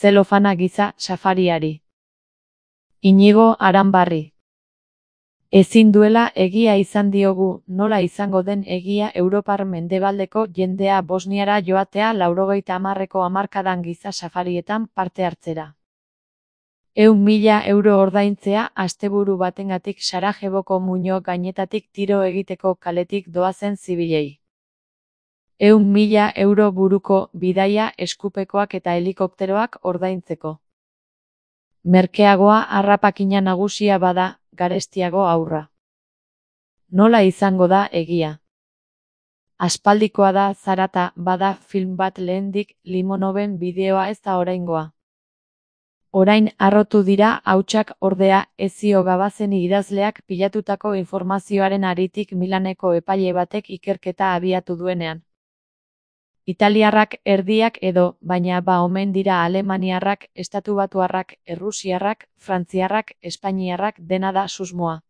zelofana giza safariari. Inigo Aranbarri. Ezin duela egia izan diogu, nola izango den egia Europar mendebaldeko jendea Bosniara joatea 90ko hamarkadan giza safarietan parte hartzera. 100.000 euro ordaintzea asteburu batengatik Sarajevoko muino gainetatik tiro egiteko kaletik doazen zibilei. 100.000 euro buruko bidaia eskupekoak eta helikopteroak ordaintzeko. Merkeagoa harrapakina nagusia bada, garestiago aurra. Nola izango da egia? Aspaldikoa da zarata bada film bat lehendik Limonoven bideoa ez da oraingoa. Orain harrotu dira hautsak ordea Ezio Gabazeni idazleak pilatutako informazioaren haritik Milaneko epaile batek ikerketa abiatu duenean. Italiarrak erdiak edo, baina omen dira alemaniarrak, estatubatuarrak, errusiarrak, frantziarrak, espainiarrak dena da susmoa.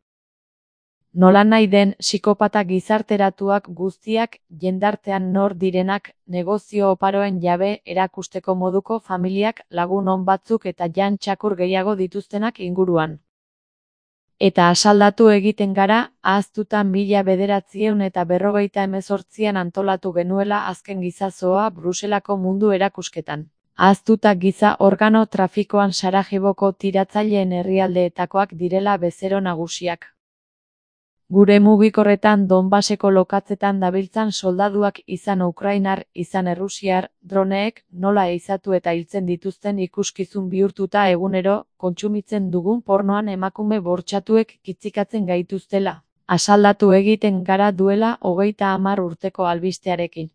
Nolanahi den, psikopata gizarteratuak guztiak, jendartean nor direnak, negozio oparoen jabe erakusteko moduko familiak, lagun on batzuk eta jan txakur gehiago dituztenak inguruan. Eta asaldatu egiten gara, ahaztuta 1958an antolatu genuela azken gizazoa Bruselako mundu erakusketan. Ahaztuta giza organo trafikoan Sarajevoko tiratzaileen herrialdeetakoak direla bezero nagusiak. Gure mugikorretan Donbaseko lokatzetan dabiltzan soldaduak izan ukrainar, izan errusiar, droneek nola ehizatu eta hiltzen dituzten ikuskizun bihurtuta egunero, kontsumitzen dugun pornoan emakume bortxatuek kitzikatzen gaituztela. Asaldatu egiten gara duela 30 urteko albistearekin.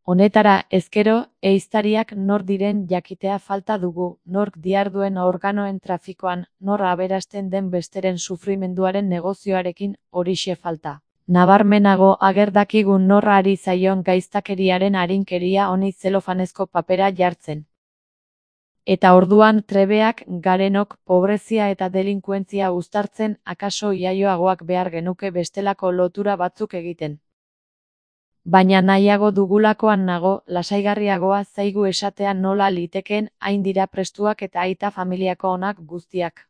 Honetara, ezkero, ehiztariak nor diren jakitea falta dugu, nork diharduen organoen trafikoan, nor aberasten den besteren sufrimenduaren negozioarekin, horixe falta. Nabarmenago ager dakigun nor ari zaion gaiztakeriaren arinkeria honi zelofanezko papera jartzen. Eta orduan trebeak garenok pobrezia eta delinkuentzia uztartzen akaso iaioagoak behar genuke bestelako lotura batzuk egiten. Baina nahiago dugulakoan nago, lasaigarriagoa zaigu esatea nola litekeen hain dira prestuak eta aita familiako onak guztiak.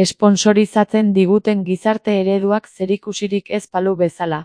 Esponsorizatzen diguten gizarte ereduak zerikusirik ez balu bezala.